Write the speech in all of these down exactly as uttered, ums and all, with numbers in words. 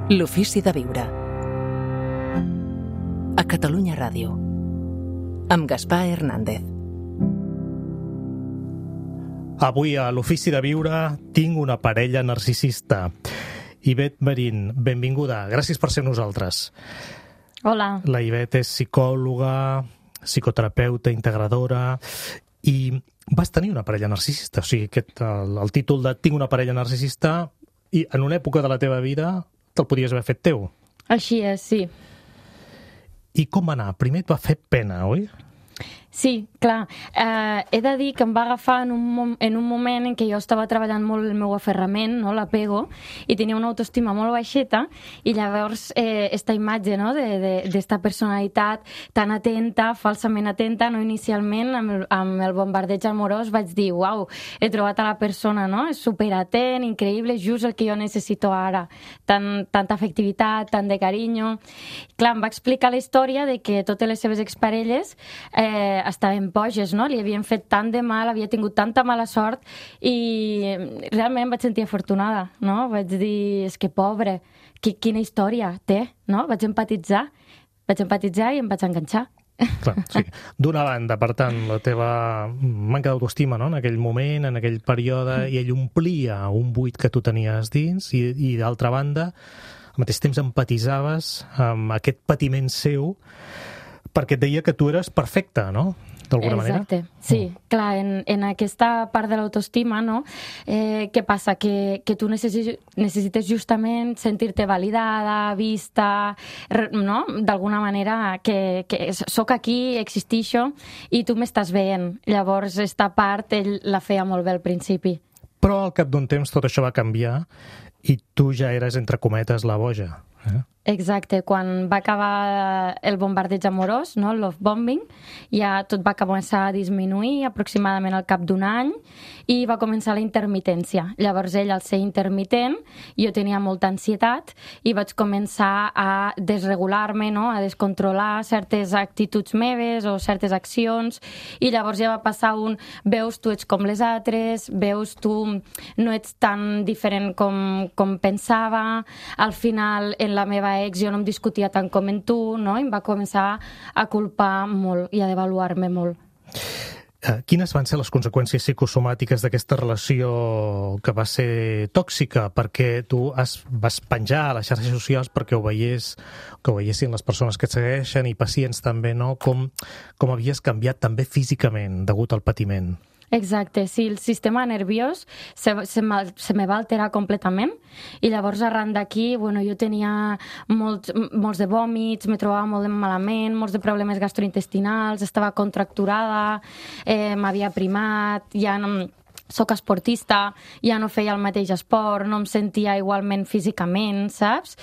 L'ofici de viure. A Catalunya Ràdio. Amb Gaspar Hernández. Avui a l'ofici de viure tinc una parella narcisista. Ivet Marín, benvinguda. Gràcies per ser nosaltres. Hola. La Ivet és psicòloga, psicoterapeuta, integradora i vas tenir una parella narcisista. O sigui, aquest, el, el títol de Tinc una parella narcisista i en una època de la teva vida te'l podies haver fet teu. Així és, sí. I com va anar? Primer et va fer pena, oi? Sí, clar. Eh, he de dir que em va agafar en un, en un moment en què jo estava treballant molt el meu aferrament, no, l'apego, i tenia una autoestima molt baixeta, i llavors eh, esta imatge, no, d'esta personalitat tan atenta, falsament atenta, no, inicialment amb el, amb el bombardeig amorós vaig dir, uau, he trobat a la persona, no, és superatent, increïble, just el que jo necessito ara, tan, tanta afectivitat, tant de carinyo. Clar, em va explicar la història de que totes les seves exparelles eh, estaven boges, no? Li havien fet tant de mal, havia tingut tanta mala sort i realment em vaig sentir afortunada, no? Vaig dir, és que pobre, quina història té, no? Vaig empatitzar, vaig empatitzar i em vaig enganxar. Clar, sí. D'una banda, per tant, la teva manca d'autoestima, no?, en aquell moment, en aquell període, i ell omplia un buit que tu tenies dins, i, i d'altra banda, al mateix temps empatitzaves amb aquest patiment seu perquè et deia que tu eres perfecta, no?, d'alguna manera. Exacte, sí. Mm. Clar, en, en aquesta part de l'autoestima, no?, eh, què passa? Que, que tu necessites, necessites justament sentir-te validada, vista, no?, d'alguna manera que, que soc aquí, existixo, i tu m'estàs veient. Llavors, esta part ell la feia molt bé al principi. Però al cap d'un temps tot això va canviar i tu ja eres, entre cometes, la boja. Eh? Exacte, quan va acabar el bombardeig amorós, no, el love bombing, ja tot va començar a disminuir aproximadament al cap d'un any i va començar la intermitència. Llavors ell, al ser intermitent, jo tenia molta ansietat i vaig començar a desregular-me, no, a descontrolar certes actituds meves o certes accions, i llavors ja va passar un veus tu ets com les altres, veus tu no ets tan diferent com, com pensava, al final en la meva ex jo no em discutia tant com en tu, no? I em va començar a culpar molt i a devaluar-me molt. Eh, quines van ser les conseqüències psicosomàtiques d'aquesta relació que va ser tòxica? Perquè tu has, vas penjar a les xarxes socials perquè ho veiés, que ho veiessin les persones que et segueixen i pacients també, no? Com, com havies canviat també físicament degut al patiment. Exacte, sí, el sistema nerviós se, se, se me va alterar completament i llavors arran d'aquí, bueno, jo tenia molts, molts de vòmits, me trobava molt malament, molts de problemes gastrointestinals, estava contracturada, eh, m'havia primat, ja no... Soc esportista, ja no feia el mateix esport, no em sentia igualment físicament, saps?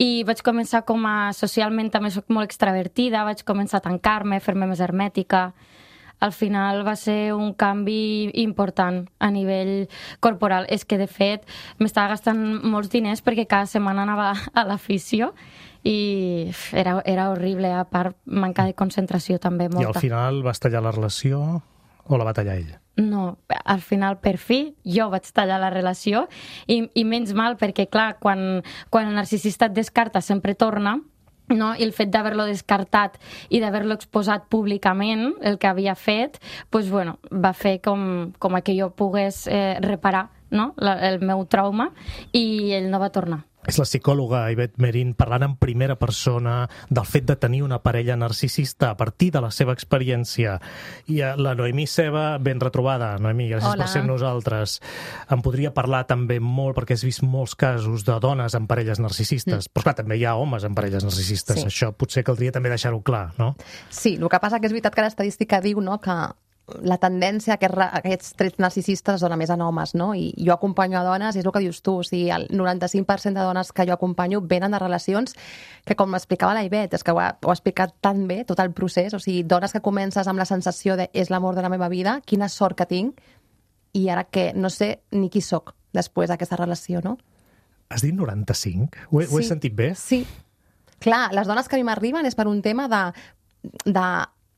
I vaig començar com a... Socialment també soc molt extravertida, vaig començar a tancar-me, fer-me més hermètica. Al final va ser un canvi important a nivell corporal. És que, de fet, m'estava gastant molts diners perquè cada setmana anava a la fisio i era, era horrible, a part manca de concentració també, molta. I al final vas tallar la relació o la va tallar ell? No, al final, per fi, jo vaig tallar la relació i, i menys mal perquè, clar, quan, quan el narcisista et descarta sempre torna, no? I el fet d'haver-lo descartat i d'haver-lo exposat públicament, el que havia fet, pues, bueno, va fer com, com que jo pogués eh, reparar, no?, la, el meu trauma, i ell no va tornar. És la psicòloga Ivet Marín parlant en primera persona del fet de tenir una parella narcisista a partir de la seva experiència. I la Noemí Ceba, ben retrobada. Noemí, gràcies Hola. per ser amb nosaltres. Em podria parlar també molt, perquè has vist molts casos de dones amb parelles narcisistes. Mm. Però clar, també hi ha homes amb parelles narcisistes. Sí. Això potser caldria també deixar-ho clar, no? Sí, el que passa que és veritat que l'estadística diu, no, que la tendència a aquests, a aquests trets narcisistes es dona més en homes, no? I jo acompanyo a dones, i és el que dius tu, o sigui, el noranta-cinc per cent de dones que jo acompanyo venen de relacions que, com m'explicava la Ivet, és que ho ha, ho ha explicat tan bé, tot el procés, o sigui, dones que comences amb la sensació de és l'amor de la meva vida, quina sort que tinc, i ara que no sé ni qui sóc després d'aquesta relació, no? Has dit noranta-cinc? Ho he, sí. ho he sentit bé? Sí. Clar, les dones que a mi m'arriben és per un tema de... de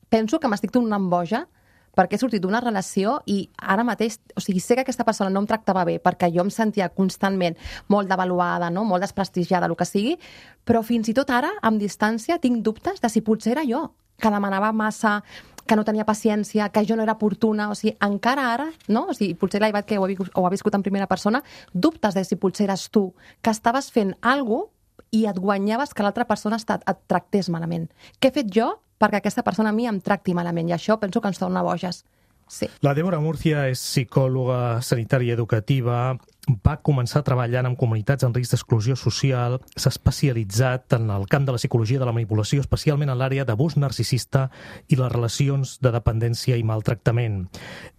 penso que m'estic tornant boja perquè he sortit d'una relació i ara mateix, o sigui, sé que aquesta persona no em tractava bé perquè jo em sentia constantment molt devaluada, no? Molt desprestigiada, el que sigui, però fins i tot ara, amb distància, tinc dubtes de si potser era jo, que demanava massa, que no tenia paciència, que jo no era oportuna, o sigui, encara ara, no? O sigui, potser la Ivat que ho ha, ho ha viscut en primera persona, dubtes de si potser eres tu, que estaves fent alguna cosa i et guanyaves que l'altra persona et, et tractés malament. Què he fet jo perquè aquesta persona a mi em tracti malament? I això penso que ens torna boges. Sí. La Débora Murcia és psicòloga sanitària educativa, va començar treballant amb comunitats en risc d'exclusió social, s'ha especialitzat en el camp de la psicologia de la manipulació, especialment en l'àrea d'abús narcisista i les relacions de dependència i maltractament.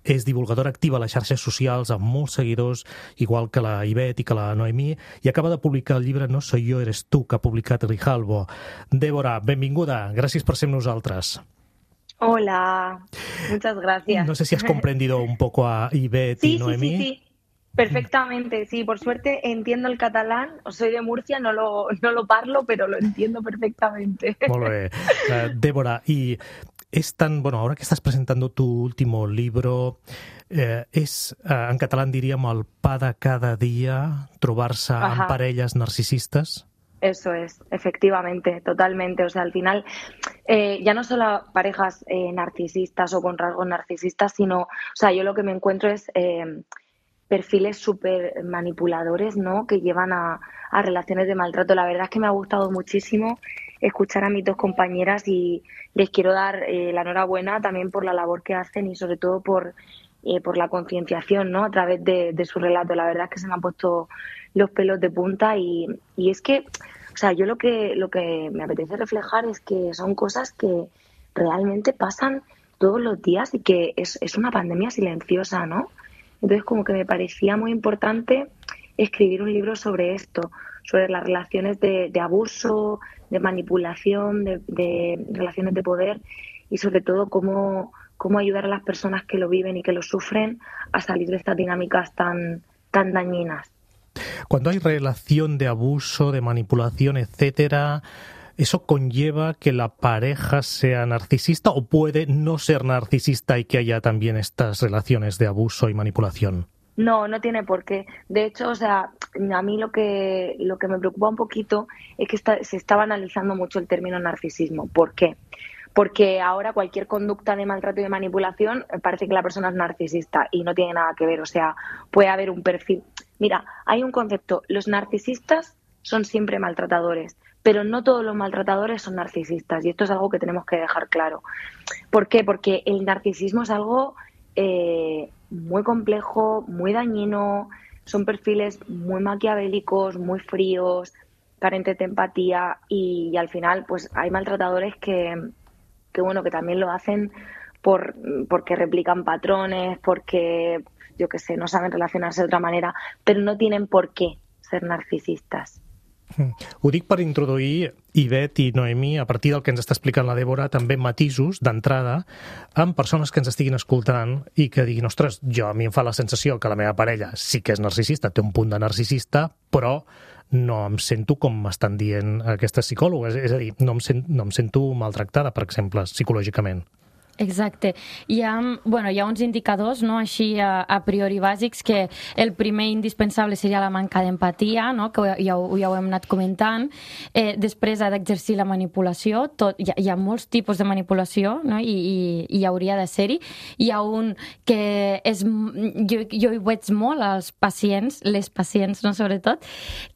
És divulgadora activa a les xarxes socials amb molts seguidors, igual que la Ivet i que la Noemí, i acaba de publicar el llibre No soy yo, eres tú, que ha publicat Grijalbo. Débora, benvinguda, gràcies per ser amb nosaltres. Hola, muchas gracias. No sé si has comprendido un poco a Ivet sí, y Noemí. Sí, sí, sí, perfectamente. Sí, por suerte entiendo el catalán. Soy de Murcia, no lo, no lo parlo, pero lo entiendo perfectamente. Molt bé. Uh, Débora, y es tan, bueno, ahora que estás presentando tu último libro, eh, és, uh, en català en diríem el pa de cada dia, trobar-se amb parelles narcisistes? Eso es, efectivamente, totalmente. O sea, al final, eh, ya no solo parejas eh, narcisistas o con rasgos narcisistas, sino, o sea, yo lo que me encuentro es eh, perfiles súper manipuladores, ¿no? Que llevan a, a relaciones de maltrato. La verdad es que me ha gustado muchísimo escuchar a mis dos compañeras y les quiero dar eh, la enhorabuena también por la labor que hacen y sobre todo por, eh, por la concienciación, ¿no? A través de, de su relato. La verdad es que se me han puesto los pelos de punta y, y es que, o sea, yo lo que, lo que me apetece reflejar es que son cosas que realmente pasan todos los días y que es, es una pandemia silenciosa, ¿no? Entonces como que me parecía muy importante escribir un libro sobre esto, sobre las relaciones de, de abuso, de manipulación, de, de relaciones de poder y sobre todo cómo, cómo ayudar a las personas que lo viven y que lo sufren a salir de estas dinámicas tan, tan dañinas. Cuando hay relación de abuso, de manipulación, etcétera, ¿eso conlleva que la pareja sea narcisista o puede no ser narcisista y que haya también estas relaciones de abuso y manipulación? No, no tiene por qué. De hecho, o sea, a mí lo que, lo que me preocupa un poquito es que está, se estaba analizando mucho el término narcisismo. ¿Por qué? Porque ahora cualquier conducta de maltrato y de manipulación parece que la persona es narcisista y no tiene nada que ver. O sea, puede haber un perfil. Mira, hay un concepto. Los narcisistas son siempre maltratadores, pero no todos los maltratadores son narcisistas. Y esto es algo que tenemos que dejar claro. ¿Por qué? Porque el narcisismo es algo eh, muy complejo, muy dañino. Son perfiles muy maquiavélicos, muy fríos, carentes de empatía y, y al final pues hay maltratadores que, que bueno que también lo hacen por porque replican patrones, porque yo qué sé, no saben relacionarse de otra manera, pero no tienen por qué ser narcisistas. Ho dic per introduir, Ivet i Noemí, a partir del que ens està explicant la Débora, també matisos d'entrada amb persones que ens estiguin escoltant i que diguin, ostres, jo a mi em fa la sensació que la meva parella sí que és narcisista, té un punt de narcisista, però no em sento com m'estan dient aquestes psicòlogues. És a dir, no em, sent, no em sento maltractada, per exemple, psicològicament. Exacte. Hi ha, bueno, hi ha uns indicadors, no?, així a, a priori bàsics, que el primer indispensable seria la manca d'empatia, no?, que ja, ja ho hem anat comentant. Eh, després ha d'exercir la manipulació. Tot, hi, ha, hi ha molts tipus de manipulació, no?, i, i, i hauria de ser-hi. Hi ha un que és... Jo, jo hi veig molt als pacients, les pacients, no?, sobretot,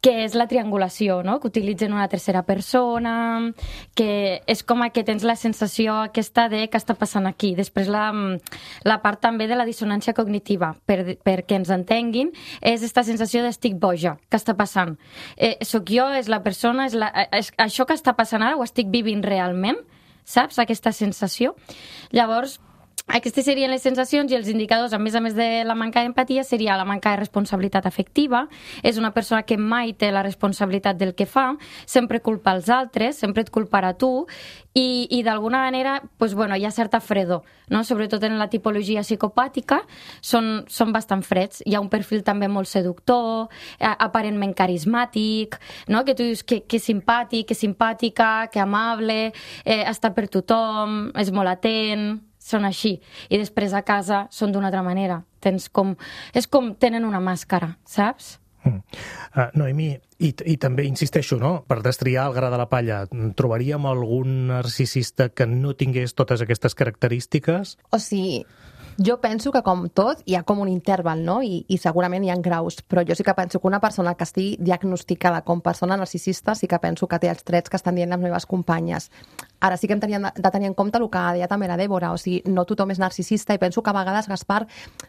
que és la triangulació, no?, que utilitzen una tercera persona, que és com que tens la sensació aquesta de que està passant aquí. Després la, la part també de la dissonància cognitiva, per, perquè ens entenguin, és aquesta sensació d'estic boja, que està passant. Eh, soc jo, és la persona, és, la, és això que està passant ara, ho estic vivint realment, saps? Aquesta sensació. Llavors, aquestes serien les sensacions i els indicadors, a més a més de la manca d'empatia, seria la manca de responsabilitat afectiva. És una persona que mai té la responsabilitat del que fa, sempre culpa els altres, sempre et culparà tu, i, i d'alguna manera pues, bueno, hi ha certa fredor, no? Sobretot en la tipologia psicopàtica, són, són bastant freds. Hi ha un perfil també molt seductor, aparentment carismàtic, no? Que tu dius que, que simpàtic, que simpàtica, que amable, eh, està per tothom, és molt atent... són així, i després a casa són d'una altra manera. Tens com... És com tenen una màscara, saps? Mm. Uh, Noemí, i, i també insisteixo, no? Per destriar el gra de la palla, trobaríem algun narcisista que no tingués totes aquestes característiques? O sigui, jo penso que com tot hi ha com un interval, no? I, i segurament hi ha graus, però jo sí que penso que una persona que estigui diagnosticada com persona narcisista sí que penso que té els trets que estan dient les meves companyes. Ara sí que hem tenien de tenir en compte el que deia també la Dèbora, o sigui, no tothom és narcisista i penso que a vegades, Gaspar,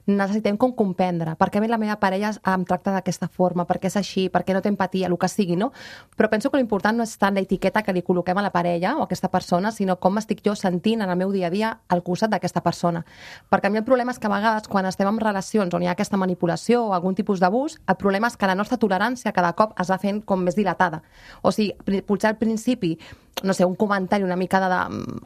necessitem com comprendre per què a mi la meva parella em tracta d'aquesta forma, per què és així, per què no té empatia, el que sigui, no? Però penso que l'important no és tant l'etiqueta que li col·loquem a la parella o a aquesta persona, sinó com m'estic jo sentint en el meu dia a dia al costat d'aquesta persona. Perquè a mi el problema és que a vegades quan estem en relacions on hi ha aquesta manipulació o algun tipus d'abús, el problema és que la nostra tolerància cada cop es va fent com més dilatada. O sigui, potser al principi, no sé, un comentari una mica de,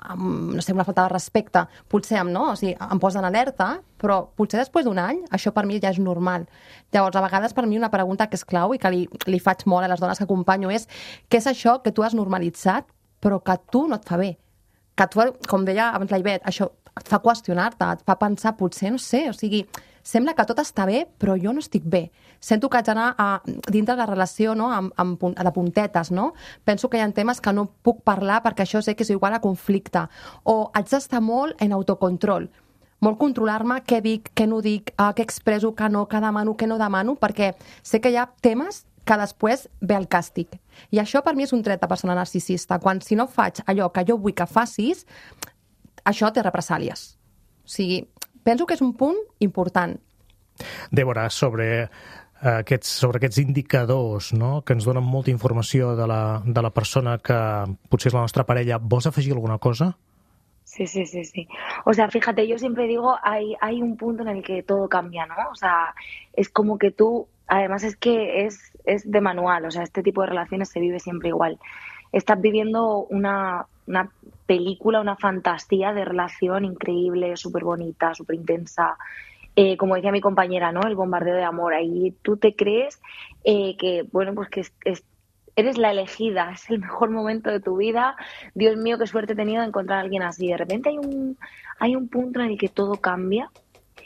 amb, no sé, una falta de respecte, potser em, no? O sigui, em posa en alerta, però potser després d'un any això per mi ja és normal. Llavors, a vegades per mi una pregunta que és clau i que li, li faig molt a les dones que acompanyo és què és això que tu has normalitzat però que a tu no et fa bé? Que tu, com deia abans la Ivet, això et fa qüestionar-te, et fa pensar potser, no sé, o sigui, sembla que tot està bé, però jo no estic bé. Sento que haig d'anar a, dintre de la relació, no? amb, amb, de puntetes, no? Penso que hi ha temes que no puc parlar perquè això sé que és igual a conflicte. O haig d'estar molt en autocontrol, molt controlar-me què dic, què no dic, eh, què expresso, què no, què demano, què no demano, perquè sé que hi ha temes que després ve el càstig. I això per mi és un tret de persona narcisista. Quan si no faig allò que jo vull que facis, això té represàlies. O sigui, penso que és un punt important. Dèbora, sobre aquests, sobre aquests indicadors, no?, que ens donen molta informació de la, de la persona que potser és la nostra parella, vols afegir alguna cosa? Sí, sí, sí, sí. O sea, fíjate, yo siempre digo, hay, hay un punto en el que todo cambia, ¿no? O sea, es como que tú, además es que es, es de manual, o sea, este tipo de relaciones se vive siempre igual. Estás viviendo una, una película, una fantasía de relación increíble, súper bonita, súper intensa. Eh, como decía mi compañera, ¿no? El bombardeo de amor. Ahí tú te crees eh, que, bueno, pues que es, es, eres la elegida, es el mejor momento de tu vida. Dios mío, qué suerte he tenido de encontrar a alguien así. De repente hay un, hay un punto en el que todo cambia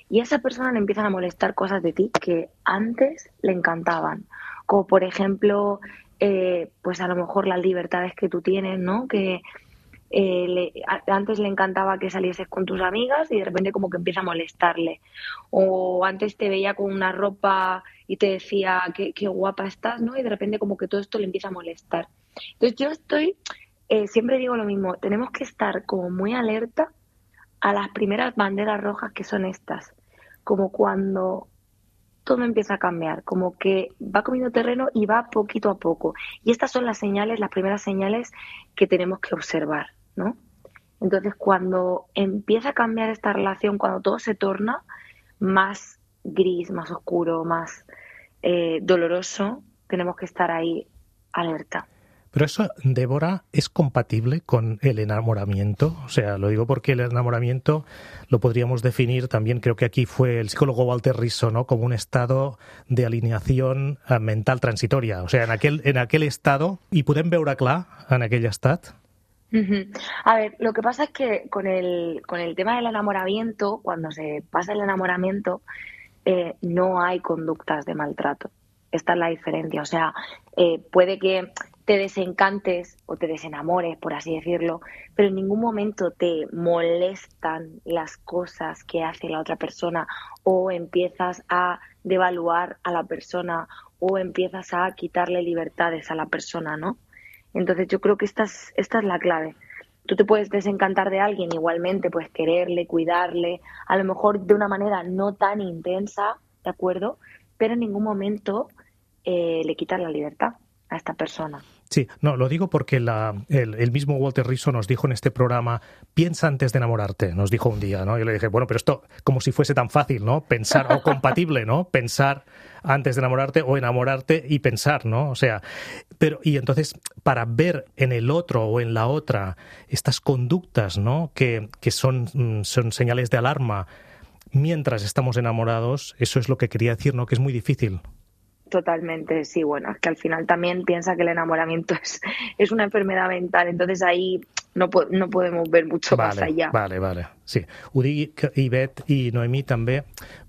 y a esa persona le empiezan a molestar cosas de ti que antes le encantaban. Como por ejemplo, eh, pues a lo mejor las libertades que tú tienes, ¿no? Que eh, le, a, antes le encantaba que salieses con tus amigas y de repente como que empieza a molestarle. O antes te veía con una ropa y te decía qué, qué guapa estás, ¿no? Y de repente como que todo esto le empieza a molestar. Entonces yo estoy, eh, siempre digo lo mismo, tenemos que estar como muy alerta a las primeras banderas rojas que son estas. Como cuando todo empieza a cambiar, como que va comiendo terreno y va poquito a poco. Y estas son las señales, las primeras señales que tenemos que observar, ¿no? Entonces, cuando empieza a cambiar esta relación, cuando todo se torna más gris, más oscuro, más eh, doloroso, tenemos que estar ahí alerta. Pero eso, Débora, ¿es compatible con el enamoramiento? O sea, lo digo porque el enamoramiento lo podríamos definir también, creo que aquí fue el psicólogo Walter Rizzo, ¿no?, como un estado de alineación mental transitoria. O sea, en aquel, en aquel estado, i podem veure clar en aquell estat? Uh-huh. A ver, lo que pasa es que con el, con el tema del enamoramiento, cuando se pasa el enamoramiento, eh, no hay conductas de maltrato. Esta es la diferencia. O sea, eh, puede que te desencantes o te desenamores, por así decirlo, pero en ningún momento te molestan las cosas que hace la otra persona o empiezas a devaluar a la persona o empiezas a quitarle libertades a la persona, ¿no? Entonces yo creo que esta es, esta es la clave. Tú te puedes desencantar de alguien igualmente, puedes quererle, cuidarle, a lo mejor de una manera no tan intensa, ¿de acuerdo? Pero en ningún momento eh, le quitas la libertad a esta persona. Sí, no, lo digo porque la, el, el mismo Walter Rizzo nos dijo en este programa, piensa antes de enamorarte, nos dijo un día, ¿no? Yo le dije, bueno, pero esto como si fuese tan fácil, ¿no? Pensar, o compatible, ¿no? Pensar antes de enamorarte o enamorarte y pensar, ¿no? O sea, pero y entonces para ver en el otro o en la otra estas conductas, ¿no?, que, que son, son señales de alarma mientras estamos enamorados, eso es lo que quería decir, ¿no?, que es muy difícil. Totalmente, sí, bueno, es que al final también piensa que el enamoramiento es, es una enfermedad mental, entonces ahí no, po no podemos ver mucho vale, más allá. Vale, vale. Sí, ho dic que Ivet i Noemí també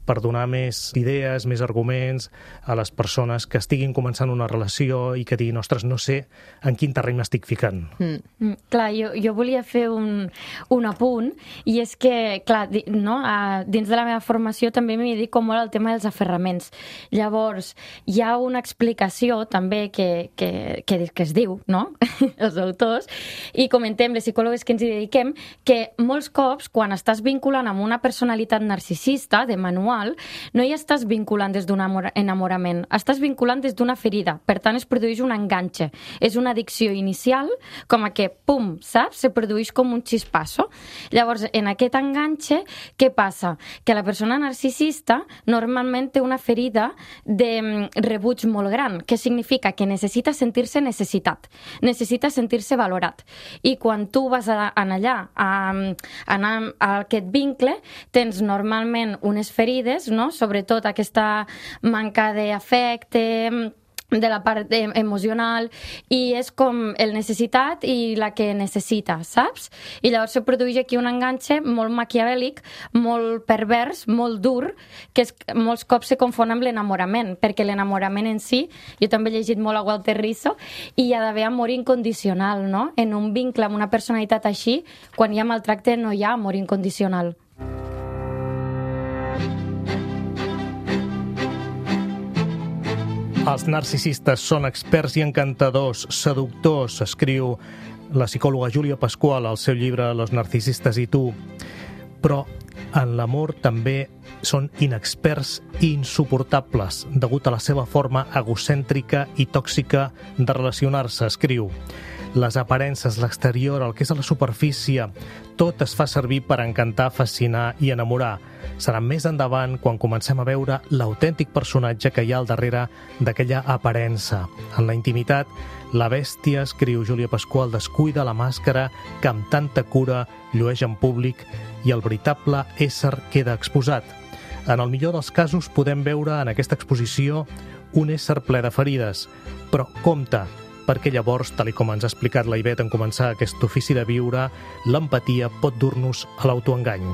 per donar més idees, més arguments a les persones que estiguin començant una relació i que diguin, ostres, no sé en quin terreny m'estic ficant. Mm. Mm, clar, jo, jo volia fer un, un apunt, i és que, clar, di, no, a, dins de la meva formació també m'hi dedico molt al tema dels aferraments. Llavors, hi ha una explicació també que, que, que, que es diu, no?, els autors, i comentem, les psicòlogues que ens hi dediquem, que molts cops, quan estàs vinculant amb una personalitat narcisista de manual, no hi estàs vinculant des d'un enamorament, estàs vinculant des d'una ferida. Per tant, es produeix un enganxe. És una addicció inicial, com a que, pum, saps? Se produeix com un xispasso. Llavors, en aquest enganxe, què passa? Que la persona narcisista normalment té una ferida de rebuig molt gran, que significa que necessita sentir-se necessitat, necessita sentir-se valorat. I quan tu vas a, a allà a, a anar a aquest vincle, tens normalment unes ferides, no? Sobretot aquesta manca d'afecte, de la part emocional, i és com el necessitat i la que necessita, saps? I llavors se produeix aquí un enganxe molt maquiavèlic, molt pervers, molt dur, que és, molts cops se confon amb l'enamorament, perquè l'enamorament en si, jo també he llegit molt a Walter Rizzo, i hi ha d'haver amor incondicional, no? En un vincle amb una personalitat així, quan hi ha maltracte no hi ha amor incondicional. Els narcisistes són experts i encantadors, seductors, escriu la psicòloga Júlia Pasqual al seu llibre Los narcisistes i tu. Però en l'amor també són inexperts i insuportables, degut a la seva forma egocèntrica i tòxica de relacionar-se, escriu. Les aparences, l'exterior, el que és a la superfície, tot es fa servir per encantar, fascinar i enamorar. Serà més endavant quan comencem a veure l'autèntic personatge que hi ha al darrere d'aquella aparença. En la intimitat, la bèstia, escriu Júlia Pasqual, descuida la màscara que amb tanta cura llueix en públic i el veritable ésser queda exposat. En el millor dels casos podem veure en aquesta exposició un ésser ple de ferides, però compte, perquè llavors, tal com ens ha explicat la Ivet en començar aquest ofici de viure, l'empatia pot dur-nos a l'autoengany.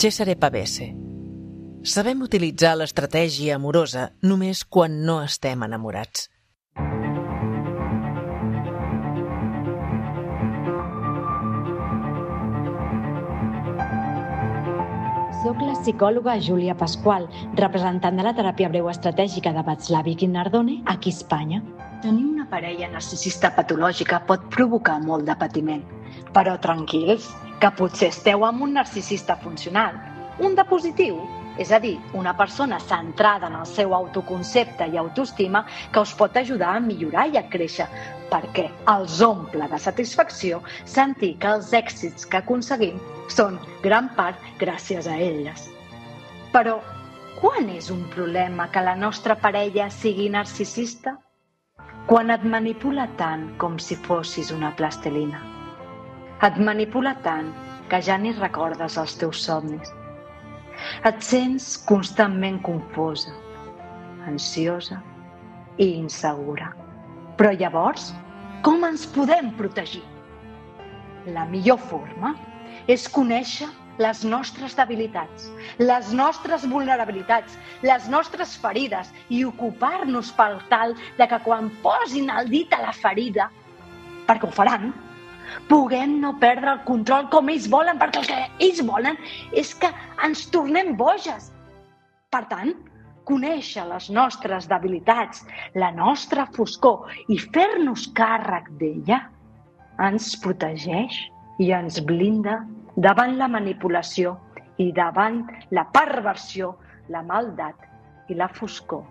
Cesare Pavese. Sabem utilitzar l'estratègia amorosa només quan no estem enamorats. Soc la psicòloga Júlia Pasqual, representant de la teràpia breu estratègica de Václavic i Nardone aquí a Espanya. Tenir una parella narcisista patològica pot provocar molt de patiment. Però tranquils, que potser esteu amb un narcisista funcional, un de positiu, és a dir, una persona centrada en el seu autoconcepte i autoestima que us pot ajudar a millorar i a créixer, perquè els omple de satisfacció sentir que els èxits que aconseguim són gran part gràcies a elles. Però, quan és un problema que la nostra parella sigui narcisista? Quan et manipula tant com si fossis una plastilina. Et manipula tant que ja ni recordes els teus somnis. Et sents constantment confosa, ansiosa i insegura. Però llavors, com ens podem protegir? La millor forma és conèixer les nostres debilitats, les nostres vulnerabilitats, les nostres ferides i ocupar-nos per tal de que quan posin el dit a la ferida, perquè ho faran, puguem no perdre el control com ells volen, perquè el que ells volen és que ens tornem boges. Per tant, conèixer les nostres debilitats, la nostra foscor i fer-nos càrrec d'ella ens protegeix i ens blinda davant la manipulació i davant la perversió, la maldat i la foscor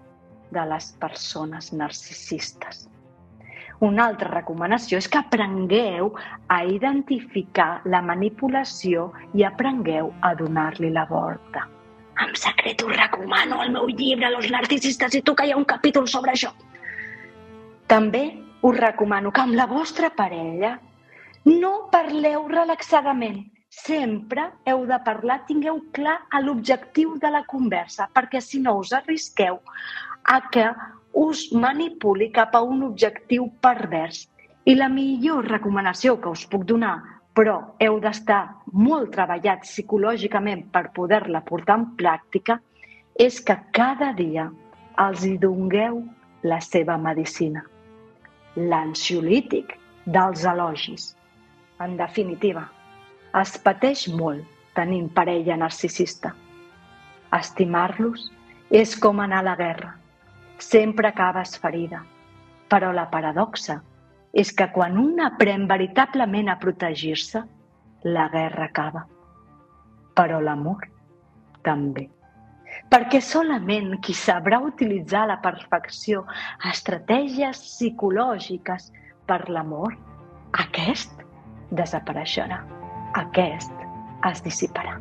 de les persones narcisistes. Una altra recomanació és que aprengueu a identificar la manipulació i aprengueu a donar-li la volta. En secret us recomano el meu llibre Los narcisistes i tu, que hi ha un capítol sobre això. També us recomano que amb la vostra parella no parleu relaxadament. Sempre heu de parlar, tingueu clar l'objectiu de la conversa, perquè si no us arrisqueu a que us manipuli cap a un objectiu pervers. I la millor recomanació que us puc donar, però heu d'estar molt treballats psicològicament per poder-la portar en pràctica, és que cada dia els hi dongueu la seva medicina. L'ansiolític dels elogis. En definitiva, es pateix molt tenint parella narcisista. Estimar-los és com anar a la guerra. Sempre acabes ferida. Però la paradoxa és que quan un aprèn veritablement a protegir-se, la guerra acaba. Però l'amor també. Perquè solament qui sabrà utilitzar a la perfecció estratègies psicològiques per l'amor, aquest desapareixerà. Aquest es dissiparà.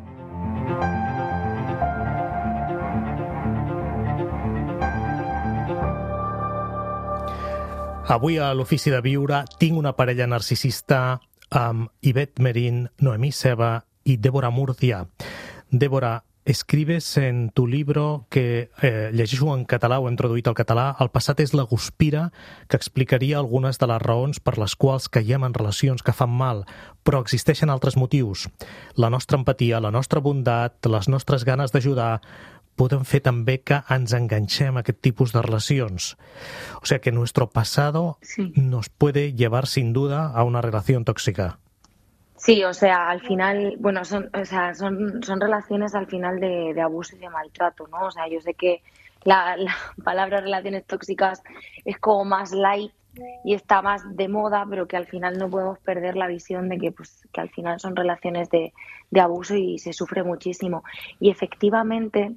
Avui a l'Ofici de Viure tinc una parella narcisista amb Ivette Merín, Noemí Seba y Débora Murcia. Débora, escribes en tu libro que, eh, llegeixo en català, ho he introduït al català, el passat és la guspira, que explicaria algunes de les raons per les quals caiem en relacions que fan mal, però existeixen altres motius. La nostra empatia, la nostra bondat, les nostres ganes d'ajudar, poden fer també que ens enganxem a aquest tipus de relacions. O sea que nuestro pasado sí. nos puede llevar sin duda a una relación tóxica. Sí, o sea, al final, bueno, son, o sea, son, son relaciones al final de, de abuso y de maltrato, ¿no? O sea, yo sé que la, la palabra relaciones tóxicas es como más light y está más de moda, pero que al final no podemos perder la visión de que, pues, que al final son relaciones de, de abuso y se sufre muchísimo. Y efectivamente,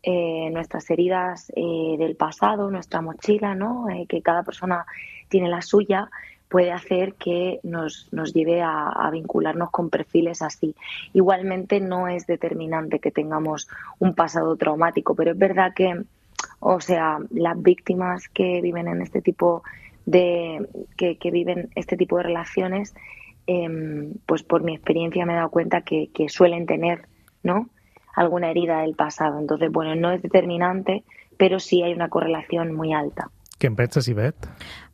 eh, nuestras heridas eh, del pasado, nuestra mochila, ¿no? Eh, que cada persona tiene la suya, puede hacer que nos, nos lleve a, a vincularnos con perfiles así. Igualmente no es determinante que tengamos un pasado traumático, pero es verdad que, o sea, las víctimas que viven en este tipo de, que, que viven este tipo de relaciones, eh, pues por mi experiencia me he dado cuenta que, que suelen tener, ¿no?, alguna herida del pasado. Entonces, bueno, no es determinante, pero sí hay una correlación muy alta. Què en penses, Ivette?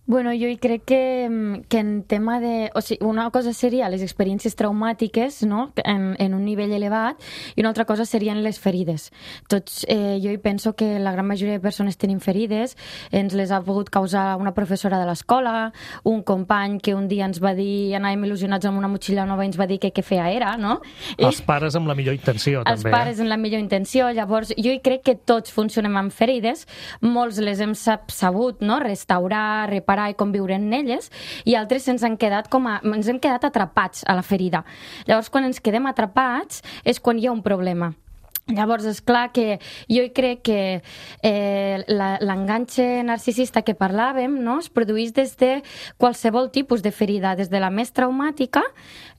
Bueno, jo hi crec que, que en tema de... O sigui, una cosa seria les experiències traumàtiques, no?, en, en un nivell elevat, i una altra cosa serien les ferides. Tots, eh, jo hi penso que la gran majoria de persones tenim ferides, ens les ha pogut causar una professora de l'escola, un company que un dia ens va dir, anàvem il·lusionats amb una motxilla nova i ens va dir que què fea era, no? Els pares amb la millor intenció, els també. Els pares eh? amb la millor intenció. Llavors, jo hi crec que tots funcionem amb ferides, molts les hem sabut, no?, restaurar, reparar i conviure en elles, i altres ens han quedat com a, ens hem quedat atrapats a la ferida. Llavors, quan ens quedem atrapats és quan hi ha un problema. Llavors, és clar que jo crec que eh, l'enganxe narcisista que parlàvem, no?, es produeix des de qualsevol tipus de ferida, des de la més traumàtica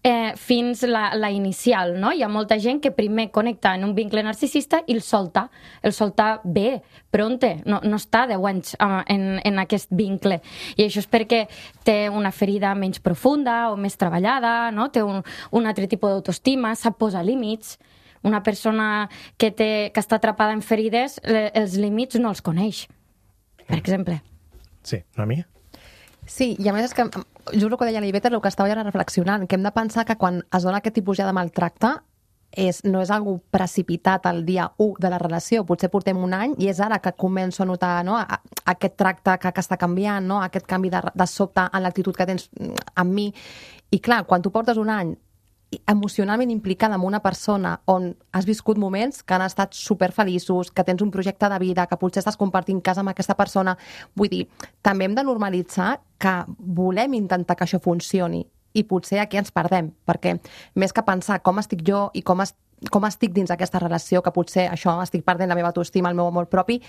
eh, fins la, la inicial, no? Hi ha molta gent que primer connecta en un vincle narcisista i el solta, el solta bé, pronte, no, no està deu anys uh, en, en aquest vincle. I això és perquè té una ferida menys profunda o més treballada, no?, té un, un altre tipus d'autoestima, sap posar límits. Una persona que, té, que està atrapada en ferides, els límits no els coneix, per exemple. Sí, una mica? Sí, i a més és que, just el que deia l'Ivette, el que estava ja reflexionant, que hem de pensar que quan es dona aquest tipus ja de maltracte, és, no és algo precipitat el dia u de la relació, potser portem un any i és ara que començo a notar, no?, aquest tracte que, que està canviant, no?, aquest canvi de, de sobte en l'actitud que tens amb mi. I clar, quan tu portes un any emocionalment implicada amb una persona on has viscut moments que han estat superfeliços, que tens un projecte de vida, que potser estàs compartint casa amb aquesta persona, vull dir, també hem de normalitzar que volem intentar que això funcioni i potser aquí ens perdem, perquè més que pensar com estic jo i com estic com estic dins aquesta relació, que potser això estic perdent la meva autoestima, el meu amor propi,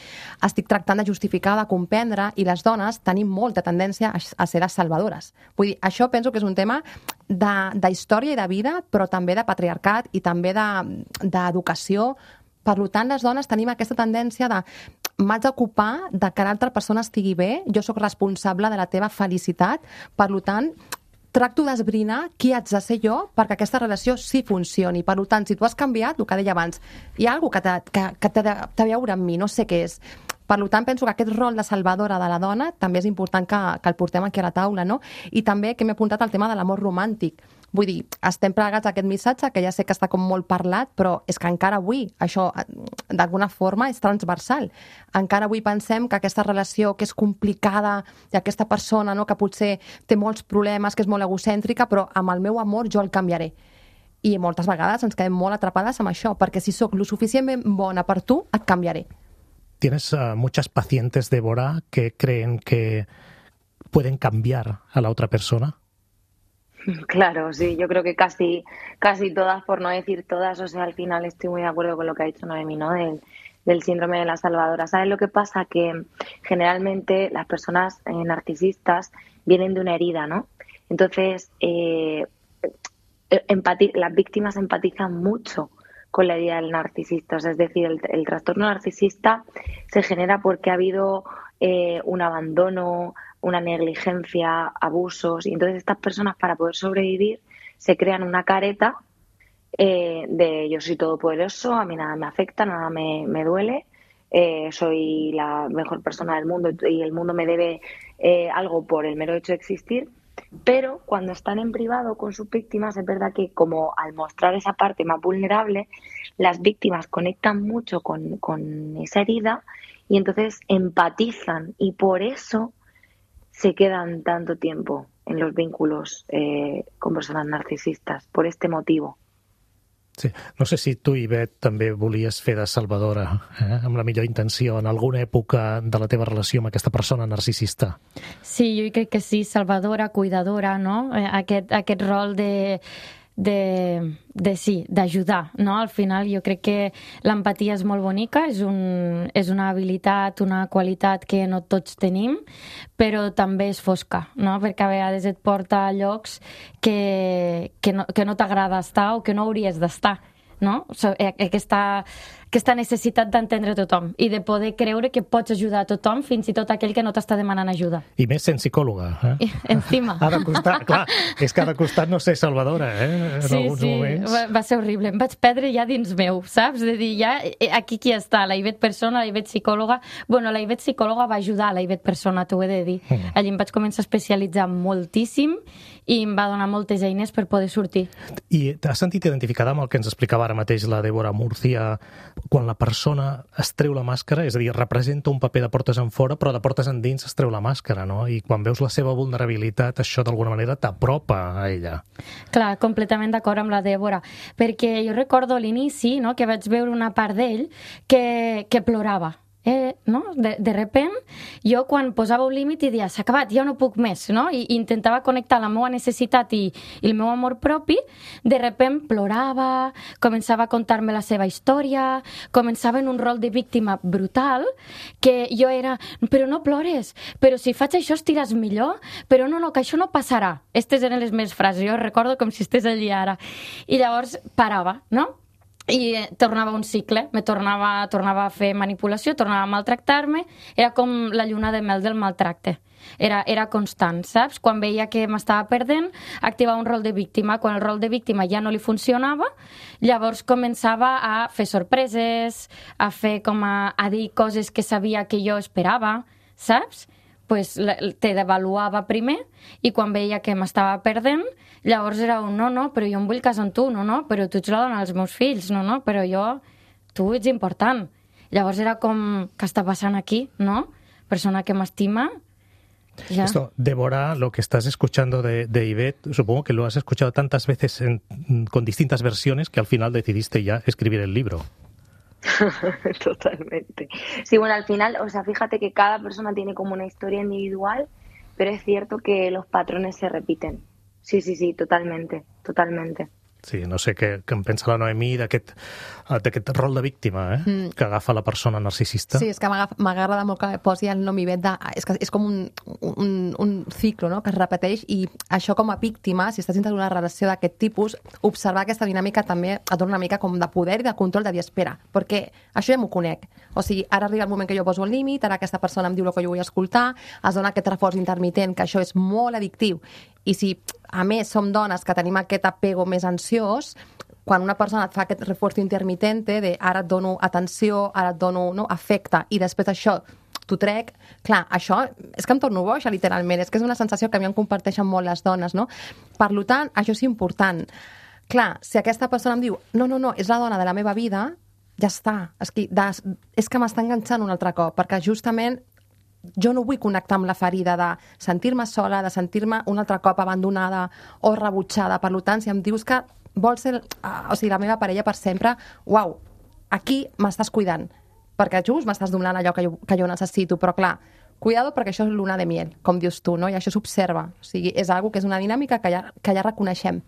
estic tractant de justificar, de comprendre, i les dones tenim molta tendència a, a ser les salvadores. Vull dir, això penso que és un tema de, de història i de vida, però també de patriarcat i també d'educació, de, Per tant, les dones tenim aquesta tendència de m'haig d'ocupar de que l'altra persona estigui bé, jo sóc responsable de la teva felicitat, per tant, tracto d'esbrinar qui haig de ser jo perquè aquesta relació sí funcioni. Per tant, si tu has canviat, el que deia abans, hi ha alguna cosa que, que, que té de, de veure amb mi, no sé què és. Per tant, penso que aquest rol de salvadora de la dona també és important que, que el portem aquí a la taula, no? I també que m'he apuntat al tema de l'amor romàntic. Vull dir, estem plegats a aquest missatge, que ja sé que està com molt parlat, però és que encara avui això, d'alguna forma, és transversal. Encara avui pensem que aquesta relació que és complicada i aquesta persona, no, que potser té molts problemes, que és molt egocèntrica, però amb el meu amor jo el canviaré. I moltes vegades ens quedem molt atrapades amb això, perquè si sóc lo suficientment bona per tu, et canviaré. Tienes uh, muchas pacientes, Débora, que creen que pueden cambiar a la otra persona. Claro, sí, yo creo que casi, casi todas, por no decir todas, o sea, al final estoy muy de acuerdo con lo que ha dicho Noemi, ¿no? Del, del síndrome de la salvadora. ¿Sabes lo que pasa? Que generalmente las personas eh, narcisistas vienen de una herida, ¿no? Entonces, eh, empati- las víctimas empatizan mucho con la herida del narcisista. O sea, es decir, el, el trastorno narcisista se genera porque ha habido eh, un abandono, una negligencia, abusos, y entonces estas personas, para poder sobrevivir, se crean una careta eh, de yo soy todopoderoso, a mí nada me afecta, nada me, me duele, eh, soy la mejor persona del mundo y el mundo me debe eh, algo por el mero hecho de existir. Pero cuando están en privado con sus víctimas, es verdad que como al mostrar esa parte más vulnerable, las víctimas conectan mucho con, con esa herida y entonces empatizan, y por eso se quedan tanto tiempo en los vínculos eh, con personas narcisistas, por este motivo. Sí. No sé si tu, Ivet, també volies fer de salvadora, eh? amb la millor intenció, en alguna època de la teva relació amb aquesta persona narcisista. Sí, jo crec que sí, salvadora, cuidadora, no? Aquest, aquest rol de... de, de sí, d'ajudar, no? Al final jo crec que l'empatia és molt bonica, és, un, és una habilitat, una qualitat que no tots tenim, però també és fosca, no? Perquè a vegades et porta a llocs que, que no, que no t'agrada estar o que no hauries d'estar, no? Aquesta, aquesta necessitat d'entendre tothom i de poder creure que pots ajudar a tothom, fins i tot aquell que no t'està demanant ajuda. I més sent psicòloga. Eh? Encima. Ha de costar, clar, és que ha de costar no ser salvadora, eh? En sí, alguns sí, moments. Va, va ser horrible. Em vaig perdre ja dins meu, saps? De dir, ja, aquí qui està? La Ivet persona, la Ivet psicòloga. Bueno, la Ivet psicòloga va ajudar a la Ivet persona, t'ho he de dir. Mm. Allí em vaig començar a especialitzar moltíssim i em va donar moltes eines per poder sortir. I t'has sentit identificada amb el que ens explicava ara mateix la Débora Murcia, quan la persona es treu la màscara, és a dir, representa un paper de portes en fora, però de portes endins es treu la màscara, no? I quan veus la seva vulnerabilitat, això d'alguna manera t'apropa a ella. Clar, completament d'acord amb la Débora, perquè jo recordo a l'inici, no?, que vaig veure una part d'ell que, que plorava. Eh, no? de, de repent jo quan posava un límit i dia s'ha acabat, ja no puc més, no? I, i intentava connectar la meva necessitat i, i el meu amor propi, de repent plorava, començava a contar-me la seva història, començava en un rol de víctima brutal, que jo era, però no plores, però si faig això estiràs millor, però no, no, que això no passarà. Estes eren les meves frases, jo recordo com si estés allí ara. I llavors parava, no? I tornava un cicle, me tornava, tornava a fer manipulació, tornava a maltractar-me, era com la lluna de mel del maltracte. Era, era constant, saps? Quan veia que m'estava perdent, activava un rol de víctima. Quan el rol de víctima ja no li funcionava, llavors començava a fer sorpreses, a fer com a, a dir coses que sabia que jo esperava, saps? Pues te devaluava primer i quan veia que m'estava perdent, llavors era un no, no, però jo em vull casar amb tu, no, no, però tu ets la dona dels meus fills, no, no, però jo, tu ets important. Llavors era com, què està passant aquí, no? Persona que m'estima. Ya. Esto, Débora, lo que estás escuchando de, de Ivet, supongo que lo has escuchado tantas veces en, con distintas versiones que al final decidiste ya escribir el libro. Totalmente. Sí, bueno, al final, o sea, fíjate que cada persona tiene como una historia individual, pero es cierto que los patrones se repiten. Sí, sí, sí, totalmente, totalmente. Sí, no sé què, què en pensa la Noemí d'aquest d'aquest rol de víctima eh? mm. que agafa la persona narcisista. Sí, és que m'agrada molt que posi el nom Ivet de... És, que és com un, un, un ciclo, no?, que es repeteix, i això com a víctima, si estàs dintre d'una relació d'aquest tipus, observar aquesta dinàmica també et dona una mica com de poder i de control, de dir, espera, perquè això ja m'ho conec. O sigui, ara arriba el moment que jo poso el límit, ara aquesta persona em diu el que jo vull escoltar, es dona aquest reforç intermitent, que això és molt addictiu. I si, a més, som dones que tenim aquest apego més ansiós, quan una persona et fa aquest reforç intermitente de ara et dono atenció, ara et dono no, afecte, i després això t'ho trec, clar, això és que em torno boja, literalment, és que és una sensació que a mi em comparteixen molt les dones, no? Per tant, això és important. Clar, si aquesta persona em diu, no, no, no, és la dona de la meva vida, ja està, és que, des, és que m'està enganxant un altre cop, perquè justament jo no vull connectar amb la ferida de sentir-me sola, de sentir-me un altre cop abandonada o rebutjada. Per tant, si em dius que vols ser o sigui, la meva parella per sempre, uau, aquí m'estàs cuidant, perquè just m'estàs donant allò que jo, que jo necessito, però clar, cuidado perquè això és luna de miel, com dius tu, no? I això s'observa. O sigui, és algo que és una dinàmica que ja, que ja reconeixem.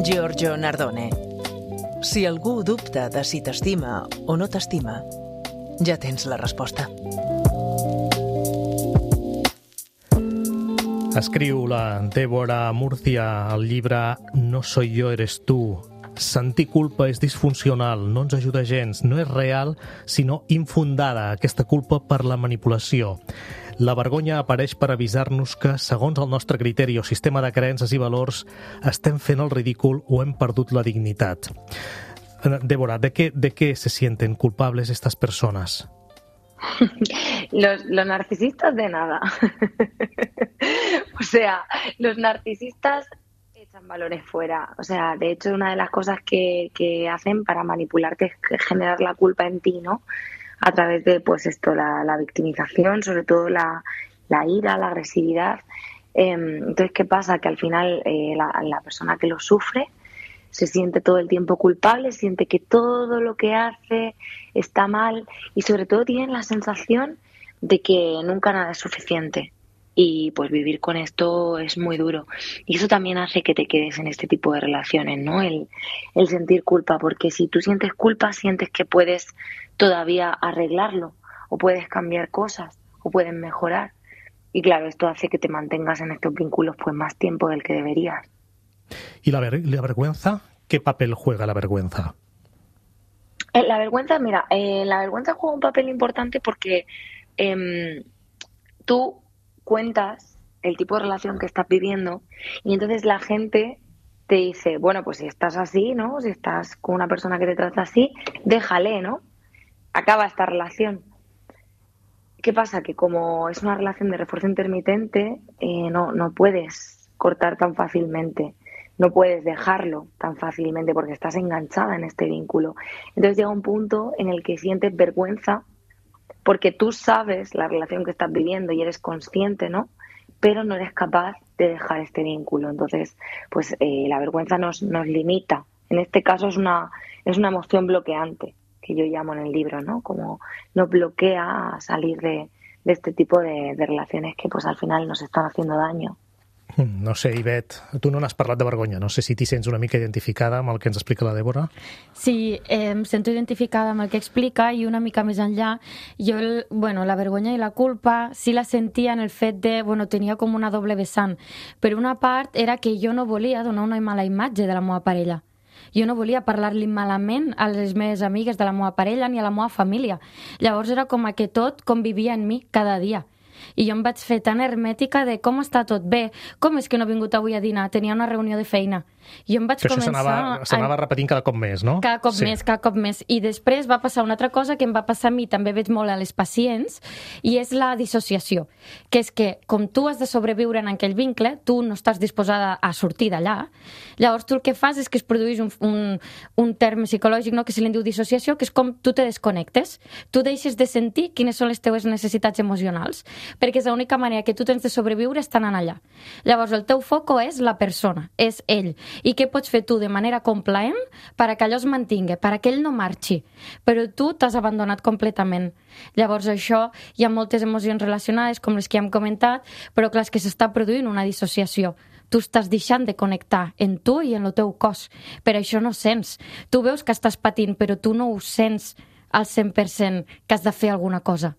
Giorgio Nardone. Si algú dubta de si t'estima o no t'estima, ja tens la resposta. Escriu la Débora Murcia al llibre No soy yo, eres tú. Sentir culpa és disfuncional, no ens ajuda gens, no és real, sinó infundada, aquesta culpa per la manipulació. La vergonya apareix per avisar-nos que, segons el nostre criteri o sistema de creences i valors, estem fent el ridícul o hem perdut la dignitat. Débora, ¿de qué, de qué se sienten culpables estas personas? Los, los narcisistas de nada. O sea, los narcisistas echan balones fuera. O sea, de hecho, una de las cosas que, que hacen para manipularte es generar la culpa en ti, ¿no? A través de, pues esto, la, la victimización, sobre todo la, la ira, la agresividad. Eh, entonces, ¿qué pasa? Que al final eh, la, la persona que lo sufre se siente todo el tiempo culpable, siente que todo lo que hace está mal y sobre todo tiene la sensación de que nunca nada es suficiente. Y pues vivir con esto es muy duro. Y eso también hace que te quedes en este tipo de relaciones, ¿no? El, el sentir culpa, porque si tú sientes culpa, sientes que puedes todavía arreglarlo, o puedes cambiar cosas, o puedes mejorar. Y claro, esto hace que te mantengas en estos vínculos pues más tiempo del que deberías. ¿Y la, ver- la vergüenza? ¿Qué papel juega la vergüenza? Eh, la vergüenza, mira, eh, la vergüenza juega un papel importante porque eh, tú cuentas el tipo de relación que estás viviendo y entonces la gente te dice, bueno, pues si estás así, ¿no? Si estás con una persona que te trata así, déjale, ¿no? Acaba esta relación. ¿Qué pasa? Que como es una relación de refuerzo intermitente, eh, no, no puedes cortar tan fácilmente, no puedes dejarlo tan fácilmente porque estás enganchada en este vínculo. Entonces llega un punto en el que sientes vergüenza porque tú sabes la relación que estás viviendo y eres consciente, ¿no? Pero no eres capaz de dejar este vínculo. Entonces, pues eh, la vergüenza nos, nos limita. En este caso es una, es una emoción bloqueante, que yo llamo en el libro, ¿no? Como nos bloquea a salir de, de este tipo de, de relaciones que pues al final nos están haciendo daño. No sé, Ivet, tu no n'has parlat de vergonya. No sé si t'hi sents una mica identificada amb el que ens explica la Débora. Sí, eh, em sento identificada amb el que explica i una mica més enllà. Jo, el, bueno, la vergonya i la culpa sí la sentia en el fet de, bueno, tenia com una doble vessant. Per una part era que jo no volia donar una mala imatge de la meva parella. Jo no volia parlar-li malament a les meves amigues de la meva parella ni a la meva família. Llavors era com que tot convivia en mi cada dia. I jo em vaig fer tan hermètica de com està tot bé, com és que no he vingut avui a dinar, tenia una reunió de feina. I jo em vaig que començar... això s'anava, s'anava a... repetint cada cop més, no? Cada cop sí. més, cada cop més. I després va passar una altra cosa que em va passar a mi, també veig molt a les pacients, i és la dissociació, que és que com tu has de sobreviure en aquell vincle, tu no estàs disposada a sortir d'allà, llavors tu el que fas és que es produeix un, un, un terme psicològic, no?, que se li diu dissociació, que és com tu te desconnectes, tu deixes de sentir quines són les teves necessitats emocionals. perquè és l'única manera que tu tens de sobreviure estant allà. Llavors, el teu foco és la persona, és ell. I què pots fer tu de manera complaent perquè allò es mantingui, perquè ell no marxi? Però tu t'has abandonat completament. Llavors, això, hi ha moltes emocions relacionades, com les que hem comentat, però clar, és que s'està produint una dissociació. Tu estàs deixant de connectar en tu i en el teu cos. Per això no sents. Tu veus que estàs patint, però tu no ho sents al cent per cent que has de fer alguna cosa.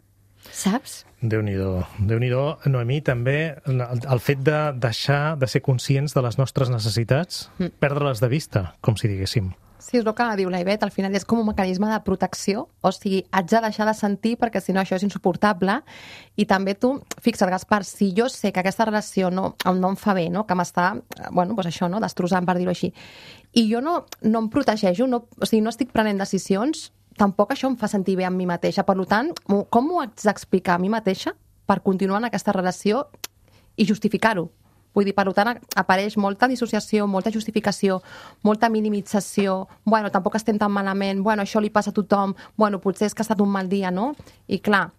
Saps? Déu-n'hi-do. Déu-n'hi-do, Noemí, també el fet de deixar de ser conscients de les nostres necessitats, mm. perdre-les de vista, com si diguéssim. Sí, és el que diu la Ivet, al final és com un mecanisme de protecció, o sigui, haig de deixar de sentir perquè si no això és insuportable, i també tu, fixa't, Gaspar, si jo sé que aquesta relació no, no em fa bé, no? Que m'està, bueno, doncs això, no? Destrossant, per dir-ho així, i jo no, no em protegeixo, no, o sigui, no estic prenent decisions, tampoc això em fa sentir bé amb mi mateixa. Per tant, com m'ho haig d'explicar a mi mateixa per continuar en aquesta relació i justificar-ho? Vull dir, per tant, apareix molta dissociació, molta justificació, molta minimització, bueno, tampoc estem tan malament, bueno, això li passa a tothom, bueno, potser és que ha estat un mal dia, no? I clar,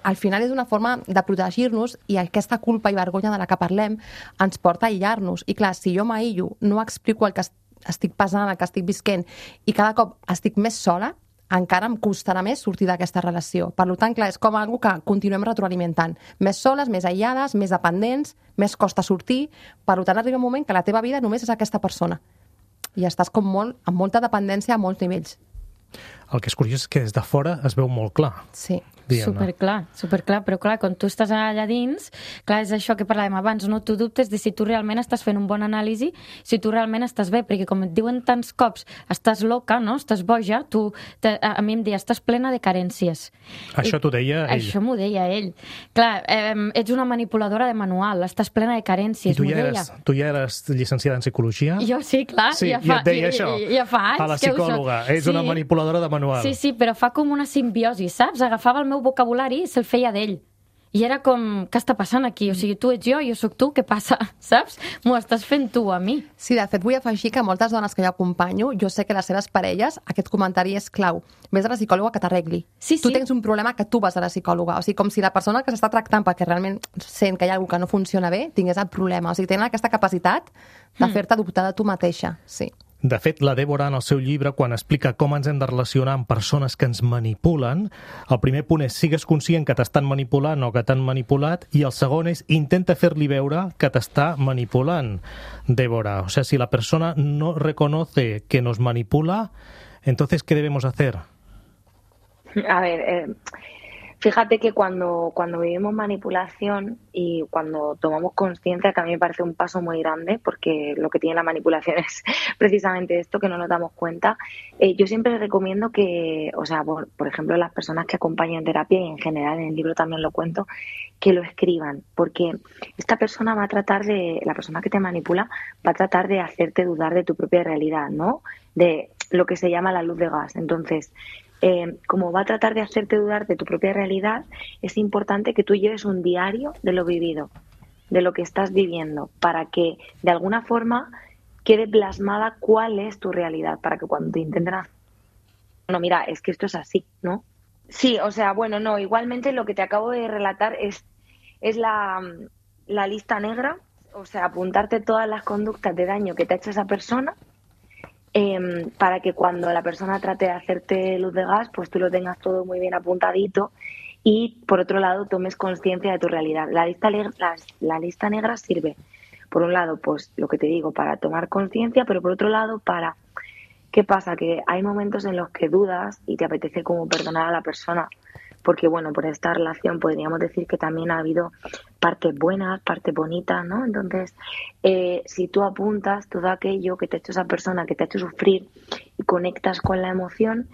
al final és una forma de protegir-nos i aquesta culpa i vergonya de la que parlem ens porta a aïllar-nos. I clar, si jo m'aïllo, no explico el que estic passant, el que estic visquent, i cada cop estic més sola, encara em costarà més sortir d'aquesta relació. Per tant, clar, és com algo que continuem retroalimentant. Més soles, més aïllades, més dependents, més costa sortir. Per tant, arriba un moment que la teva vida només és aquesta persona. I estàs com molt, amb molta dependència a molts nivells. El que és curiós és que des de fora es veu molt clar. Sí. Superclar, superclar, però clar, quan tu estàs allà dins, clar, és això que parlàvem abans, no? Tu dubtes de si tu realment estàs fent un bon anàlisi, si tu realment estàs bé, perquè com et diuen tants cops, estàs loca, no? Estàs boja, tu, te, a mi em deia, estàs plena de carències. Això t'ho deia ell? Això m'ho deia ell. Clar, eh, ets una manipuladora de manual, estàs plena de carències, m'ho deia. Eres, tu ja eres llicenciada en psicologia? Jo sí, clar, sí, ja fa, i et deia això, ja, ja fa anys a la psicòloga, és sí. una manipuladora de manual. Sí, sí, però fa com una simbiosi, saps? Agafava el meu vocabulari i se'l feia d'ell. I era com, què està passant aquí? O sigui, tu ets jo, jo sóc tu, què passa? Saps? M'ho estàs fent tu a mi. Sí, de fet, vull afegir que moltes dones que jo acompanyo, jo sé que les seves parelles, aquest comentari és clau. Ves a la psicòloga que t'arregli. Sí, sí. Tu tens un problema que tu vas a la psicòloga. O sigui, com si la persona que s'està tractant perquè realment sent que hi ha alguna que no funciona bé, tingués el problema. O sigui, tenen aquesta capacitat de fer-te dubtar de tu mateixa. Sí. De fet, la Débora, en el seu llibre, quan explica com ens hem de relacionar amb persones que ens manipulen, el primer punt és sigues conscient que t'estan manipulant o que t'han manipulat, i el segon és intenta fer-li veure que t'està manipulant, Débora. O sea, si la persona no reconoce que nos manipula, entonces, ¿qué debemos hacer? A ver, eh, fíjate que cuando, cuando vivimos manipulación y cuando tomamos conciencia, que a mí me parece un paso muy grande, porque lo que tiene la manipulación es precisamente esto, que no nos damos cuenta, eh, yo siempre recomiendo que, o sea, por, por ejemplo, las personas que acompaño en terapia, y en general en el libro también lo cuento, que lo escriban, porque esta persona va a tratar de, la persona que te manipula, va a tratar de hacerte dudar de tu propia realidad, ¿no? De lo que se llama la luz de gas. Entonces, Eh, como va a tratar de hacerte dudar de tu propia realidad, es importante que tú lleves un diario de lo vivido, de lo que estás viviendo, para que de alguna forma quede plasmada cuál es tu realidad, para que cuando te intenten hacer, no, mira, es que esto es así, ¿no? Sí, o sea, bueno, no, igualmente lo que te acabo de relatar es, es la, la lista negra, o sea, apuntarte todas las conductas de daño que te ha hecho esa persona, Eh, para que cuando la persona trate de hacerte luz de gas, pues tú lo tengas todo muy bien apuntadito y, por otro lado, tomes conciencia de tu realidad. La lista, la, la lista negra sirve, por un lado, pues lo que te digo, para tomar conciencia, pero por otro lado, para... ¿Qué pasa? Que hay momentos en los que dudas y te apetece como perdonar a la persona, porque, bueno, por esta relación podríamos decir que también ha habido partes buenas, partes bonitas, ¿no? Entonces, eh, si tú apuntas todo aquello que te ha hecho esa persona, que te ha hecho sufrir, y conectas con la emoción,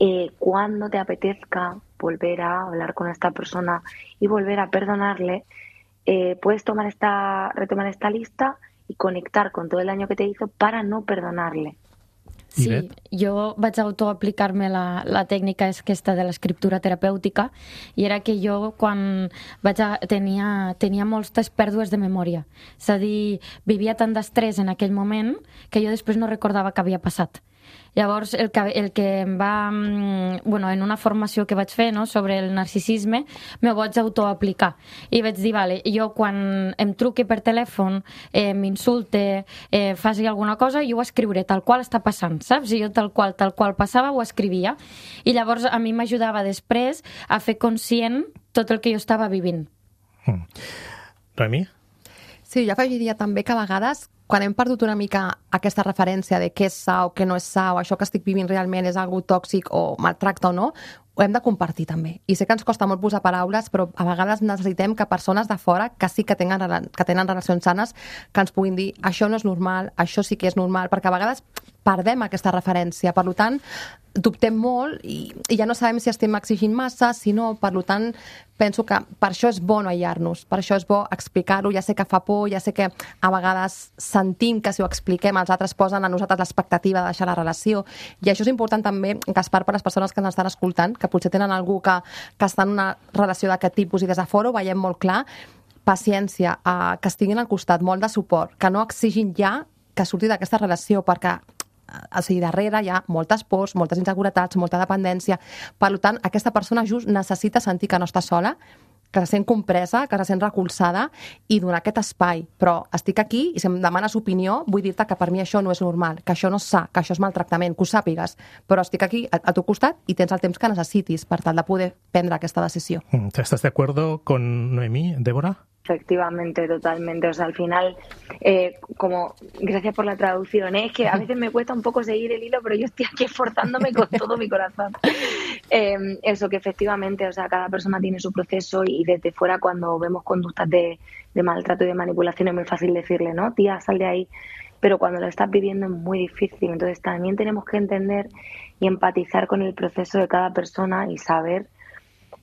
eh, cuando te apetezca volver a hablar con esta persona y volver a perdonarle, eh, puedes tomar esta, retomar esta lista y conectar con todo el daño que te hizo para no perdonarle. Sí, jo vaig autoaplicar-me la, la tècnica aquesta de l'escriptura terapèutica, i era que jo quan vaig a, tenia, tenia moltes pèrdues de memòria. És a dir, vivia tant d'estrès en aquell moment que jo després no recordava què havia passat. Llavors, el que, el que em va... Bueno, en una formació que vaig fer, no?, sobre el narcisisme, me vaig autoaplicar. I vaig dir, vale, jo quan em truqui per telèfon, eh, m'insulte, eh, faci alguna cosa, jo ho escriuré tal qual està passant, saps? I jo tal qual, tal qual passava, ho escrivia. I llavors a mi m'ajudava després a fer conscient tot el que jo estava vivint. Mm. Noemí? Sí, jo afegiria també que a vegades quan hem perdut una mica aquesta referència de què és sa o què no és sa o això que estic vivint realment és algo tòxic o maltracta o no, ho hem de compartir també. I sé que ens costa molt posar paraules, però a vegades necessitem que persones de fora que sí que tenen, que tenen relacions sanes que ens puguin dir això no és normal, això sí que és normal, perquè a vegades perdem aquesta referència. Per tant, dubtem molt i, i ja no sabem si estem exigint massa, si no, per tant, penso que per això és bo no aïllar-nos, per això és bo explicar-ho, ja sé que fa por, ja sé que a vegades sentim que si ho expliquem els altres posen a nosaltres l'expectativa de deixar la relació, i això és important també, Gaspar, per les persones que ens estan escoltant, que potser tenen algú que, que està en una relació d'aquest tipus i des de fora ho veiem molt clar, paciència, eh, que estiguin al costat, molt de suport, que no exigin ja que surti d'aquesta relació, perquè o sigui, darrere hi ha moltes pors, moltes inseguretats, molta dependència. Per tant, aquesta persona just necessita sentir que no està sola, que se sent compresa, que se sent recolzada i donar aquest espai. Però estic aquí i si em demanes opinió, vull dir-te que per mi això no és normal, que això no és sa, que això és maltractament, que ho sàpigues. Però estic aquí a, a tu costat i tens el temps que necessitis per tal de poder prendre aquesta decisió. ¿Estás de acuerdo con Noemí, Débora? Efectivamente, totalmente. O sea, al final, eh, como, gracias por la traducción, ¿eh? Es que a veces me cuesta un poco seguir el hilo, pero yo estoy aquí esforzándome con todo mi corazón. Eh, eso, que efectivamente, o sea, cada persona tiene su proceso y desde fuera cuando vemos conductas de, de maltrato y de manipulación es muy fácil decirle, ¿no? Tía, sal de ahí. Pero cuando lo estás viviendo es muy difícil. Entonces también tenemos que entender y empatizar con el proceso de cada persona y saber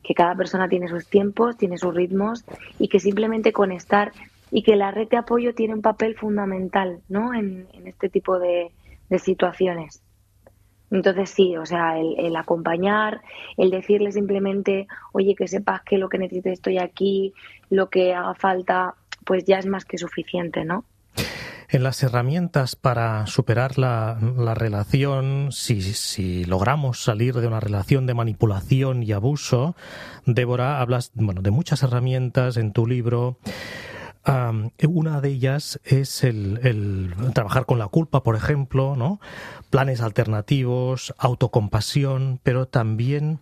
que cada persona tiene sus tiempos, tiene sus ritmos y que simplemente con estar y que la red de apoyo tiene un papel fundamental, ¿no? en, en este tipo de, de situaciones. Entonces sí, o sea, el, el acompañar, el decirle simplemente, oye, que sepas que lo que necesites estoy aquí, lo que haga falta, pues ya es más que suficiente, ¿no? En las herramientas para superar la, la relación, si, si logramos salir de una relación de manipulación y abuso, Débora, hablas bueno, de muchas herramientas en tu libro. Um, una de ellas es el, el trabajar con la culpa, por ejemplo, ¿no? Planes alternativos, autocompasión, pero también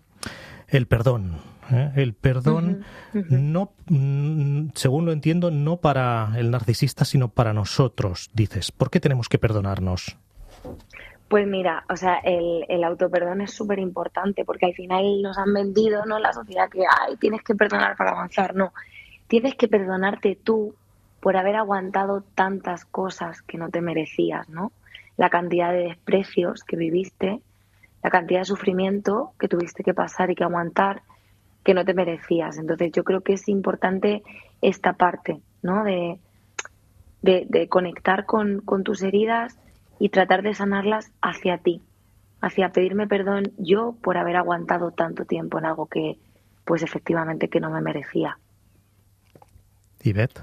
el perdón. ¿eh? El perdón, uh-huh, uh-huh. no, según lo entiendo, no para el narcisista, sino para nosotros, dices. ¿Por qué tenemos que perdonarnos? Pues mira, o sea, el, el autoperdón es súper importante porque al final nos han vendido, ¿no?, la sociedad que, ay, tienes que perdonar para avanzar. No, tienes que perdonarte tú por haber aguantado tantas cosas que no te merecías, ¿no? La cantidad de desprecios que viviste, la cantidad de sufrimiento que tuviste que pasar y que aguantar que no te merecías. Entonces yo creo que es importante esta parte, ¿no? De, de, de conectar con, con tus heridas y tratar de sanarlas hacia ti, hacia pedirme perdón yo por haber aguantado tanto tiempo en algo que, pues efectivamente, que no me merecía. Ivette?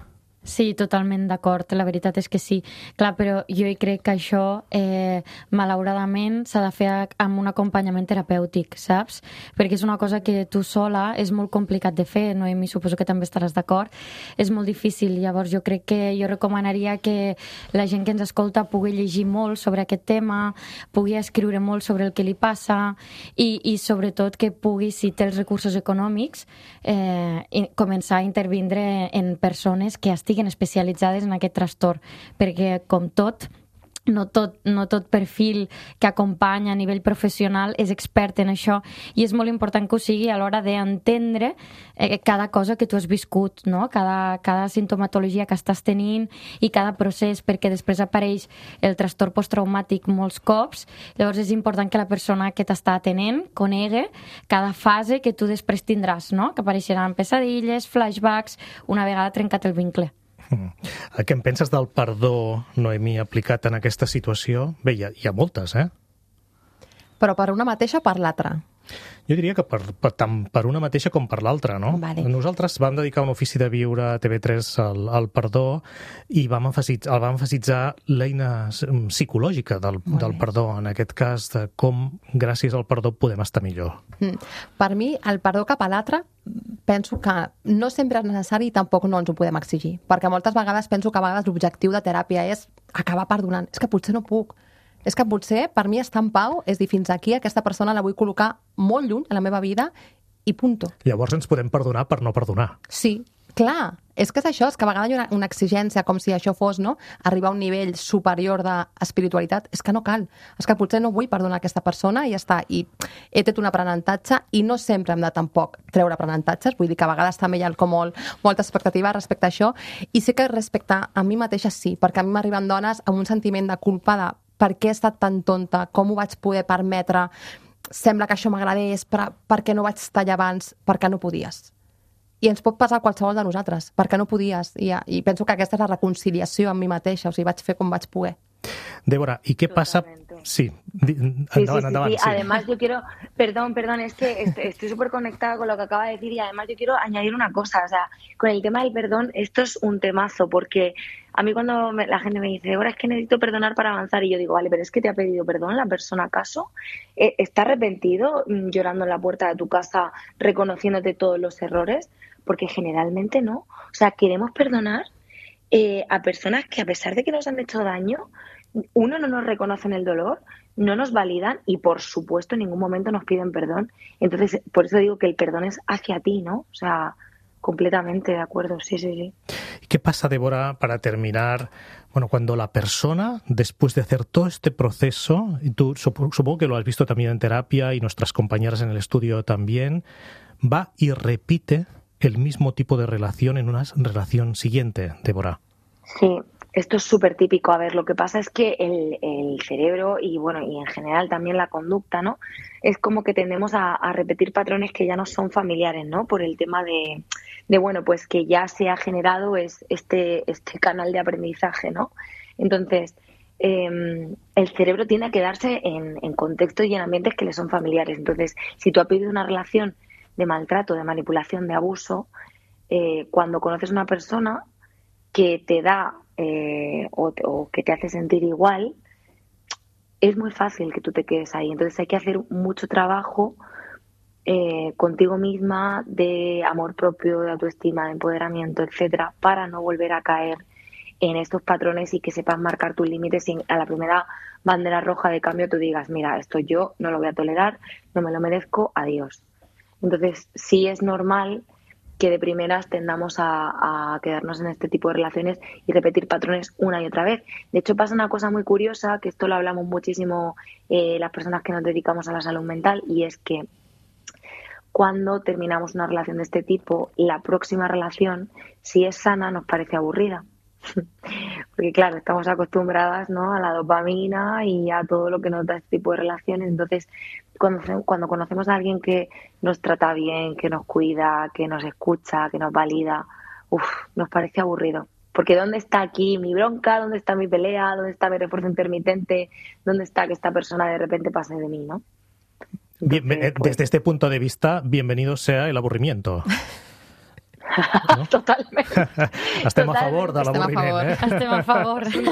Sí, totalment d'acord, la veritat és que sí. Clar, però jo crec que això, eh, malauradament, s'ha de fer amb un acompanyament terapèutic, saps? Perquè és una cosa que tu sola és molt complicat de fer, Noemi, suposo que també estaràs d'acord. És molt difícil, llavors jo crec que jo recomanaria que la gent que ens escolta pugui llegir molt sobre aquest tema, pugui escriure molt sobre el que li passa i, i sobretot que pugui, si té els recursos econòmics, eh, començar a intervindre en persones que estiguin especialitzades en aquest trastorn, perquè com tot, no tot, no tot perfil que acompanya a nivell professional és expert en això i és molt important que ho sigui a l'hora d'entendre eh, cada cosa que tu has viscut, no? cada, cada sintomatologia que estàs tenint i cada procés, perquè després apareix el trastorn posttraumàtic molts cops, llavors és important que la persona que t'està atenent conegui cada fase que tu després tindràs, no? Que apareixeran pesadilles, flashbacks, una vegada trencat el vincle. Què en penses del perdó, Noemí, aplicat en aquesta situació? Bé, hi ha, hi ha moltes, eh? Però per una mateixa o per l'altra? Jo diria que per, per, tant per una mateixa com per l'altra, no? Vale. Nosaltres vam dedicar un ofici de viure a T V tres al, al perdó i vam emfasitzar, el vam emfasitzar l'eina psicològica del, del perdó, en aquest cas de com gràcies al perdó podem estar millor. Mm. Per mi, el perdó cap a l'altre penso que no sempre és necessari i tampoc no ens ho podem exigir, perquè moltes vegades penso que a vegades l'objectiu de teràpia és acabar perdonant. És que potser no puc. És que potser, per mi, estar en pau és dir, fins aquí, aquesta persona la vull col·locar molt lluny a la meva vida i punto. Llavors ens podem perdonar per no perdonar. Sí, clar. És que és això, és que a vegades hi ha una, una exigència, com si això fos, no?, arribar a un nivell superior d'espiritualitat. És que no cal. És que potser no vull perdonar aquesta persona i ja està. I he tret un aprenentatge i no sempre hem de tampoc treure aprenentatges. Vull dir que a vegades també hi ha com molt, molta expectativa respecte a això. I sí que respecte a mi mateixa sí, perquè a mi m'arriben dones amb un sentiment de culpa de per què he estat tan tonta, com ho vaig poder permetre, sembla que això m'agradés, per, per què no vaig estar allà abans, per què no podies. I ens pot passar a qualsevol de nosaltres, per què no podies. I, I penso que aquesta és la reconciliació amb mi mateixa, o sigui, vaig fer com vaig poder. Débora, ¿y qué pasa? Sí, andaban, sí, sí, sí, andaban, sí. sí. Además, yo quiero, perdón, perdón, es que estoy súper conectada con lo que acaba de decir y además yo quiero añadir una cosa, o sea, con el tema del perdón, esto es un temazo, porque a mí cuando me, la gente me dice, Débora, es que necesito perdonar para avanzar, y yo digo, vale, pero es que te ha pedido perdón la persona, ¿acaso? Eh, ¿Está arrepentido llorando en la puerta de tu casa, reconociéndote todos los errores? Porque generalmente no. O sea, queremos perdonar eh, a personas que a pesar de que nos han hecho daño, uno, no nos reconocen el dolor, no nos validan y, por supuesto, en ningún momento nos piden perdón. Entonces, por eso digo que el perdón es hacia ti, ¿no? O sea, completamente de acuerdo, sí, sí, sí. ¿Qué pasa, Débora, para terminar? Bueno, cuando la persona, después de hacer todo este proceso, y tú supongo que lo has visto también en terapia y nuestras compañeras en el estudio también, va y repite el mismo tipo de relación en una relación siguiente, Débora? Sí. Esto es súper típico. A ver, lo que pasa es que el, el cerebro y, bueno, y en general también la conducta, ¿no? Es como que tendemos a, a repetir patrones que ya no son familiares, ¿no? Por el tema de, de bueno, pues que ya se ha generado es, este, este canal de aprendizaje, ¿no? Entonces, eh, el cerebro tiende a quedarse en, en contextos y en ambientes que le son familiares. Entonces, si tú has vivido una relación de maltrato, de manipulación, de abuso, eh, cuando conoces a una persona que te da Eh, o, o que te hace sentir igual, es muy fácil que tú te quedes ahí. Entonces hay que hacer mucho trabajo eh, contigo misma de amor propio, de autoestima, de empoderamiento, etcétera, para no volver a caer en estos patrones y que sepas marcar tus límites y a la primera bandera roja de cambio tú digas, mira, esto yo no lo voy a tolerar, no me lo merezco, adiós. Entonces sí es normal que de primeras tendamos a, a quedarnos en este tipo de relaciones y repetir patrones una y otra vez. De hecho, pasa una cosa muy curiosa, que esto lo hablamos muchísimo eh, las personas que nos dedicamos a la salud mental, y es que cuando terminamos una relación de este tipo, la próxima relación, si es sana, nos parece aburrida. Porque claro, estamos acostumbradas, ¿no?, a la dopamina y a todo lo que nos da este tipo de relaciones. Entonces, cuando, cuando conocemos a alguien que nos trata bien, que nos cuida, que nos escucha, que nos valida, uf, nos parece aburrido. Porque ¿dónde está aquí mi bronca? ¿Dónde está mi pelea? ¿Dónde está mi refuerzo intermitente? ¿Dónde está que esta persona de repente pase de mí, ¿no? Entonces, bien, pues... Desde este punto de vista, bienvenido sea el aburrimiento. ¿No? Totalmente. Estem a favor de l'avorriment, eh? Estem a favor. Sí,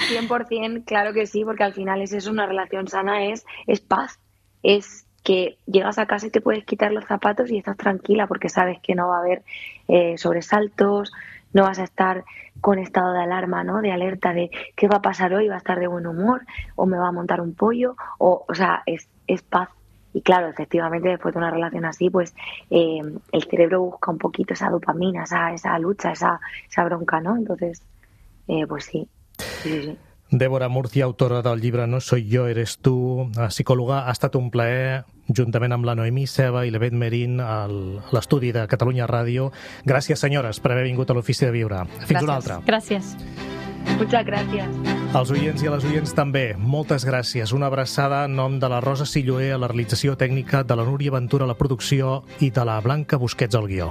cien por ciento, claro que sí, porque al final es eso, una relación sana es, es paz, es que llegas a casa y te puedes quitar los zapatos y estás tranquila porque sabes que no va a haber eh, sobresaltos, no vas a estar con estado de alarma, ¿no?, de alerta de qué va a pasar hoy, va a estar de buen humor o me va a montar un pollo, o, o sea, es, es paz. Y claro, efectivamente, después de una relación así, pues eh, el cerebro busca un poquito esa dopamina, esa, esa lucha, esa, esa bronca, ¿no? Entonces, eh, pues sí, sí, sí. Débora Murcia, autora del llibre No soy yo, eres tú, psicòloga, ha estat un plaer, juntament amb la Noemí Ceba i l'Evet Merín, a l'estudi de Catalunya Ràdio. Gràcies, senyores, per haver vingut a l'Ofici de Viure. Fins Gràcies. una altra. Gràcies. Muchas gracias. Als oients i a les oients també, moltes gràcies. Una abraçada en nom de la Rosa Silloé a la realització tècnica, de la Núria Ventura a la producció i de la Blanca Busquets al guió.